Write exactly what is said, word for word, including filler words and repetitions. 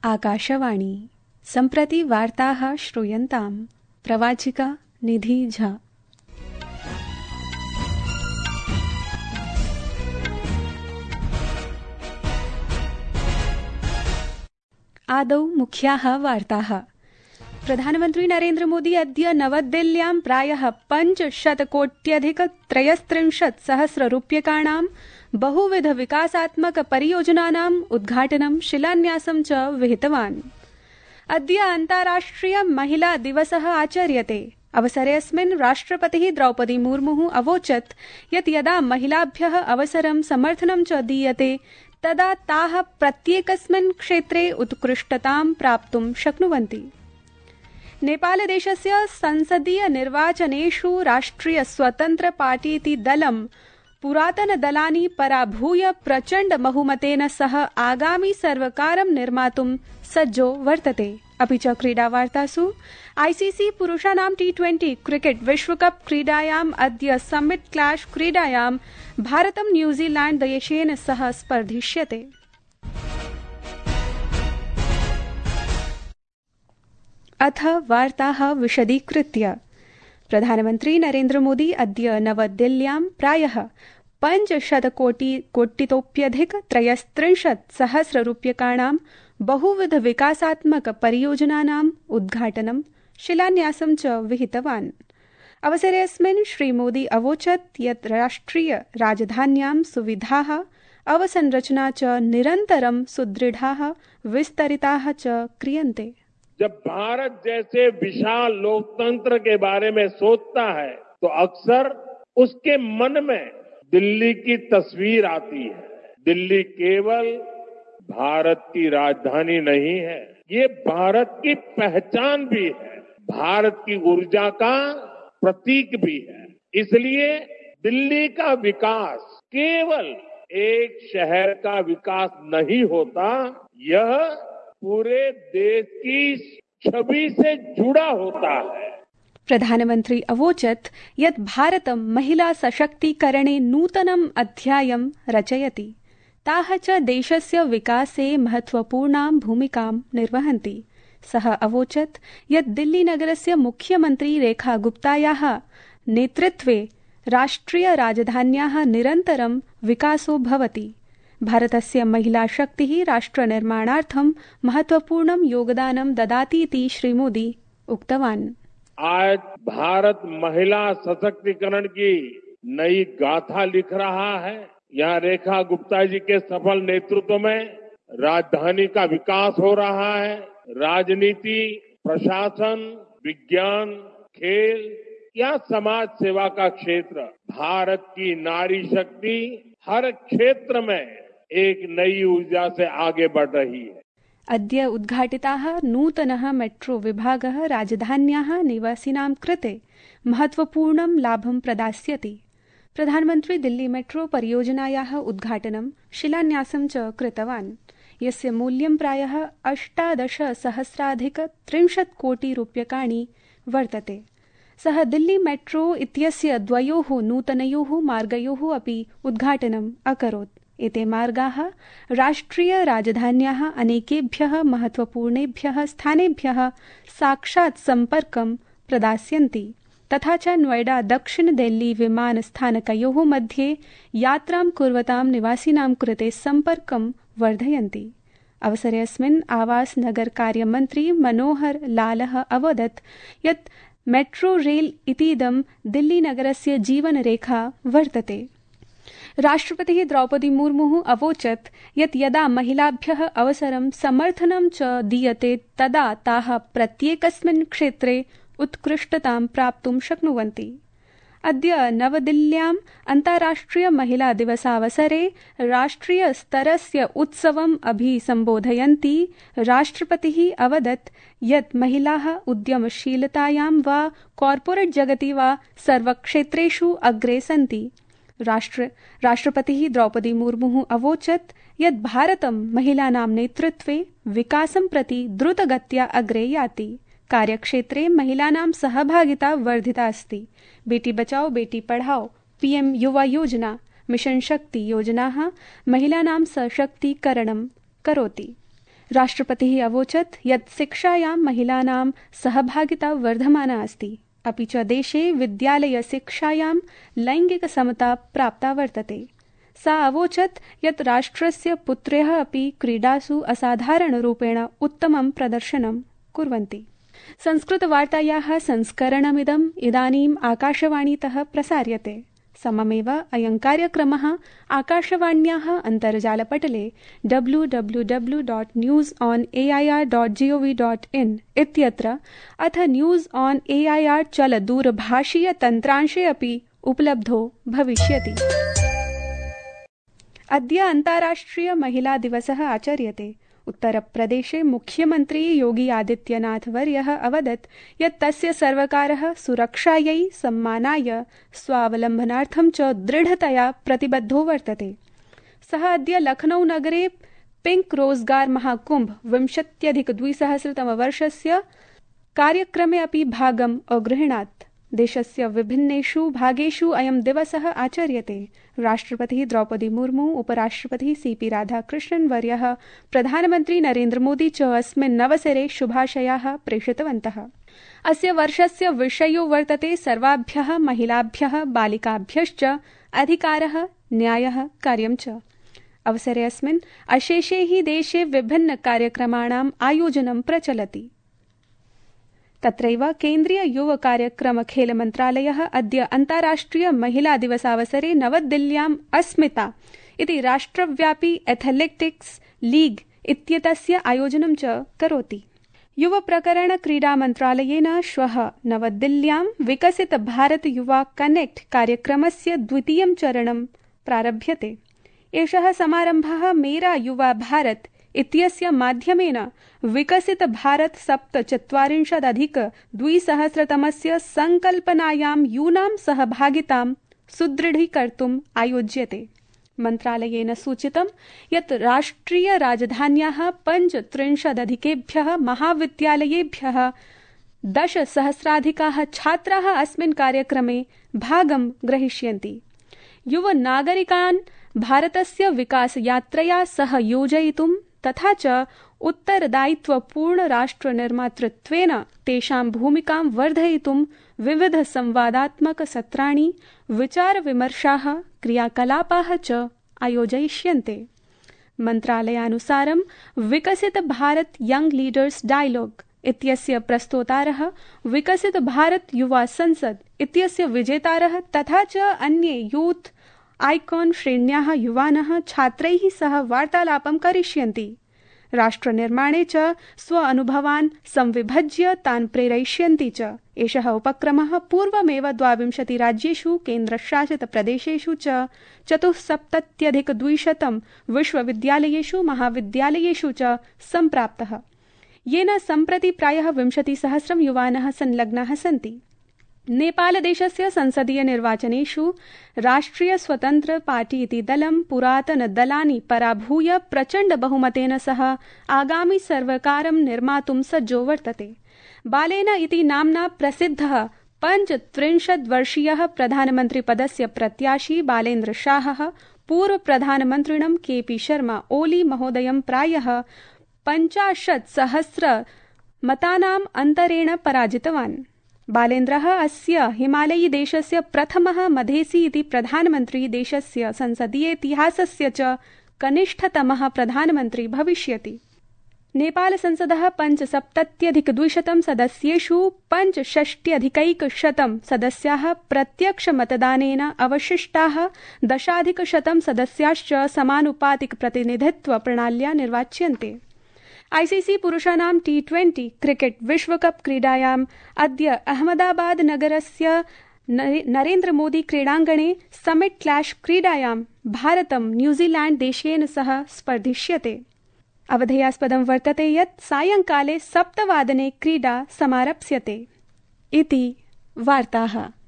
आकाशवाणी सम्प्रति वार्ताः श्रूयन्ताम्। प्रवाचिका निधि झा। आदौ मुख्याः वार्ताः। प्रधानमन्त्री नरेन्द्र मोदी अद्य नवदिल्ल्यां प्रायः पञ्चशतकोट्यधिक त्रयस्त्रिंशत् सहस्ररूप्यकाणां बहुविध विकासात्मक परियोजनानाम् उद्घाटनं शिलान्यासं च विहितवान्। अद्य अन्ताराष्ट्रिय महिला दिवसः आचर्यते। अवसरेऽस्मिन् राष्ट्रपतिः द्रौपदी मुर्मुः अवोचत् यत् यदा महिलाभ्यः अवसरं समर्थनं च दीयते तदा ताः प्रत्येकस्मिन् क्षेत्रे उत्कृष्टतां प्राप्तुं शक्नुवन्ति। नेपालदेशस्य संसदीय निर्वाचनेषु राष्ट्रिय स्वतन्त्र पार्टीति दलं पुरातनदलानि पराभूय प्रचण्ड बहुमतेन सह आगामि सर्वकारं निर्मातुं सज्जो वर्तते। अपि च क्रीडावार्तासु आईसीसी पुरुषाणां टी ट्वेंटी क्रिकेट विश्वकप क्रीडायाम् अद्य समिट क्लैश क्रीडायां भारतं न्यूजीलैंड देशेन सह स्पर्धिष्यते। अथ वार्ताः विशदीकृत्य। प्रधानमन्त्री नरेन्द्र मोदी अद्य नवदिल्ल्यां प्रायः पञ्चशतकोटि कोटितोप्यधिक त्रयस्त्रिंशत् सहस्ररूप्यकाणां बहुविध विकासात्मक परियोजनानाम् उद्घाटनं शिलान्यासं च विहितवान्। अवसरेऽस्मिन् श्रीमोदी अवोचत् यत् राष्ट्रिय राजधान्यां सुविधाः अवसंरचना च निरन्तरं सुदृढाः विस्तरिताः च क्रियन्ते। जब भारत जैसे विशाल लोकतंत्र के बारे में सोचता है तो अक्सर उसके मन में दिल्ली की तस्वीर आती है। दिल्ली केवल भारत की राजधानी नहीं है, ये भारत की पहचान भी है, भारत की ऊर्जा का प्रतीक भी है। इसलिए दिल्ली का विकास केवल एक शहर का विकास नहीं होता, यह पूरे देश की छवि से जुड़ा होता है। प्रधानमन्त्री अवोचत् यत् भारतं महिला सशक्तीकरणे नूतनम् अध्यायं रचयति। ताः च देशस्य विकासे महत्वपूर्णां भूमिकां निर्वहन्ति। सः अवोचत् यत् दिल्लीनगरस्य मुख्यमन्त्री रेखा गुप्तायाः नेतृत्वे राष्ट्रिय राजधान्याः निरन्तरं विकासो भवति। भारतस्य महिला शक्तिः राष्ट्रनिर्माणार्थं महत्वपूर्णं योगदानं ददातीति श्रीमोदी उक्तवान्। आज भारत महिला सशक्तिकरण की नई गाथा लिख रहा है। यहाँ रेखा गुप्ता जी के सफल नेतृत्व में राजधानी का विकास हो रहा है। राजनीति, प्रशासन, विज्ञान, खेल या समाज सेवा का क्षेत्र, भारत की नारी शक्ति हर क्षेत्र में एक नई ऊर्जा से आगे बढ़ रही है। अद्य उद्घाटिताः नूतनः मेट्रो विभागः राजधान्याः निवासिनां कृते महत्वपूर्णं लाभं प्रदास्यति। प्रधानमन्त्री दिल्ली मेट्रो परियोजनायाः उद्घाटनं शिलान्यासं च कृतवान्, यस्य मूल्यं प्रायः अष्टादश सहस्राधिक त्रिंशत् कोटि रूप्यकाणि वर्तते। सः दिल्ली मेट्रो इत्यस्य द्वयोः नूतनयोः मार्गयोः अपि उद्घाटनम् अकरोत्। एते मार्गाः राष्ट्रिय राजधान्याः अनेकेभ्यः महत्वपूर्णेभ्यः स्थानेभ्यः साक्षात् सम्पर्कं प्रदास्यन्ति, तथा च नोएडा दक्षिण दिल्ली विमानस्थानकयोः मध्ये यात्रां कुर्वतां निवासिनां कृते सम्पर्कं वर्धयन्ति। अवसरेऽस्मिन् आवास नगर कार्यमन्त्री मनोहर लालः अवदत् यत् मेट्रो रेल इतीदं दिल्लीनगरस्य जीवनरेखा वर्तते। राष्ट्रपतिः द्रौपदी मुर्मुः अवोचत् यत् यदा महिलाभ्यः अवसरं समर्थनं च दीयते तदा ताः प्रत्येकस्मिन् क्षेत्रे उत्कृष्टतां प्राप्तुं शक्नुवन्ति। अद्य नवदिल्ल्याम् अन्ताराष्ट्रिय महिला दिवसावसरे राष्ट्रिय स्तरस्य उत्सवम् अभिसम्बोधयन्ती राष्ट्रपतिः अवदत् यत् महिलाः उद्यमशीलतायां वा कॉर्पोरेट जगति वा सर्वक्षेत्रेषु अग्रे सन्ति। राष्ट्र राष्ट्रपतिः द्रौपदी मुर्मुः अवोचत् यत् भारतं महिलानां नेतृत्वे विकासं प्रति द्रुतगत्या अग्रे याति। कार्यक्षेत्रे महिलानां सहभागिता वर्धिता अस्ति। बेटी बचाओ बेटी पढ़ाओ, पीएम युवा योजना, मिशन शक्ति योजनाः महिलानां सशक्तीकरणं करोति। राष्ट्रपतिः अवोचत् यत् शिक्षायां महिलानां सहभागिता वर्धमाना अस्ति, अपि च देशे विद्यालयशिक्षायां लैङ्गिकसमता प्राप्ता वर्तते। सा अवोचत् यत् राष्ट्रस्य पुत्र्यः अपि क्रीडासु असाधारणरूपेण उत्तमं प्रदर्शनं कुर्वन्ति। संस्कृतवार्तायाः संस्करणमिदम् इदानीम् आकाशवाणीतः प्रसार्यते। सममेव अयं कार्यक्रमः आकाशवाण्याः अन्तर्जालपटले W W W dot news on A I R dot G O V dot in इत्यत्र अथ news on A I R चलदूरभाषीयतन्त्रांशे अपि उपलब्धो भविष्यति। अद्य अन्ताराष्ट्रिय महिला दिवसः आचर्यते। उत्तरप्रदेशे मुख्यमन्त्री योगी आदित्यनाथ वर्यः अवदत् यत् तस्य सर्वकारः सुरक्षायै, सम्मानाय, स्वावलम्बनार्थं च दृढतया प्रतिबद्धो वर्तते। सः अद्य लखनऊ नगरे पिंक रोजगार महाकुंभ विंशत्यधिकद्विसहस्रतमवर्षस्य कार्यक्रमे अपि भागम् अगृह्णात्। देशस्य विभिन्नेषु भागेषु अयं दिवसः आचर्यते। राष्ट्रपतिः द्रौपदी मुर्मू, उपराष्ट्रपतिः सी पी राधाकृष्णन् वर्यः, प्रधानमन्त्री नरेन्द्रमोदी च अस्मिन् अवसरे शुभाशयाः प्रेषितवन्तः। अस्य वर्षस्य विषयो वर्तते सर्वाभ्यः महिलाभ्यः, बालिकाभ्यश्च अधिकारः, न्यायः, कार्यं च। अवसरे अस्मिन् अशेषे हि देशे विभिन्न कार्यक्रमाणाम् आयोजनं प्रचलति। तत्रैव केन्द्रीय युव कार्यक्रम खेल मन्त्रालयः अद्य अन्ताराष्ट्रिय महिला दिवसावसरे नवदिल्ल्याम् अस्मिता इति राष्ट्रव्यापी एथलेटिक्स् लीग् इत्येतस्य आयोजनं च करोति। युव प्रकरण क्रीडा मन्त्रालयेन श्वः नवदिल्ल्यां विकसित भारत युवा कनेक्ट कार्यक्रमस्य द्वितीयं चरणं प्रारभ्यते। एषः समारम्भः मेरा युवा भारत इत्यस्य माध्यमेन विकसित भारत सप्तचत्वारिंशदधिक द्विसहस्रतमस्य संकल्पनायां यूनां सहभागितां सुदृढीकर्तुम् आयोज्यते। मन्त्रालयेन सूचितं यत् राष्ट्रिय राजधान्याः पञ्चत्रिंशदधिकेभ्यः महाविद्यालयेभ्यः दशसहस्राधिकाः छात्राः अस्मिन् कार्यक्रमे भागं ग्रहीष्यन्ति। युव नागरिकान् भारतस्य विकासयात्रया सह योजयितुं तथा च उत्तरदायित्वपूर्ण राष्ट्रनिर्मातृत्वेन तेषां भूमिकां वर्धयितुं विविध संवादात्मक सत्राणि, विचारविमर्शाः, क्रियाकलापाः च आयोजयिष्यन्ते। मन्त्रालयानुसारं विकसित भारत यंग लीडर्स डायलॉग इत्यस्य प्रस्तोतारः, विकसित भारत युवा संसद इत्यस्य विजेतारः तथा च अन्ये यूथ आइकॉन श्रेण्याः युवानः छात्रैः सह वार्तालापं करिष्यन्ति। राष्ट्रनिर्माणे च स्व अनुभवान् संविभज्य तान् प्रेरयिष्यन्ति च। एषः उपक्रमः पूर्वमेव द्वाविंशति राज्येषु केन्द्रशासित प्रदेशेषु च चतुस्सप्तत्यधिकद्विशतं विश्वविद्यालयेषु महाविद्यालयेषु च सम्प्राप्तः, येन सम्प्रति प्रायः विंशतिसहस्रं युवानः संलग्नाः सन्ति। नेपालदेशस्य संसदीय निर्वाचनेषु राष्ट्रिय स्वतन्त्र पार्टी इति दलं पुरातनदलानि पराभूय प्रचण्ड बहुमतेन सह आगामि सर्वकारं निर्मातुं सज्जो वर्तते। बालेन इति नाम्ना प्रसिद्धः पञ्चत्रिंशद्वर्षीयः प्रधानमन्त्रिपदस्य प्रत्याशी बालेन्द्र शाहः पूर्वप्रधानमन्त्रिणं के पी शर्मा ओली महोदयं प्रायः पञ्चाशत् सहस्र मतानाम् अन्तरेण पराजितवान्। बालेन्द्रः अस्य हिमालयी देशस्य प्रथमः मधेसी इति प्रधानमन्त्री देशस्य संसदीयेतिहासस्य च कनिष्ठतमः प्रधानमन्त्री भविष्यति। नेपाल संसदः पञ्चसप्तत्यधिकद्विशतं सदस्येषु पञ्चषष्ट्यधिकैकशतं सदस्याः प्रत्यक्षमतदानेन, अवशिष्टाः दशाधिकशतं सदस्याश्च समानुपातिक प्रतिनिधित्व प्रणाल्या निर्वाच्यन्ते। आईसीसी पुरुषाणां टी ट्वेंटी क्रिकेट विश्वकप क्रीडायाम् अद्य अहमदाबाद नगरस्य नरेन्द्र मोदी क्रीडाङ्गणे समिट क्लैश क्रीडायां भारतं न्यूजीलैंड देशेन सह स्पर्धिष्यते। अवधेयास्पदं वर्तते यत् सायंकाले सप्तवादने क्रीडा समारप्स्यते। इति वार्ताः।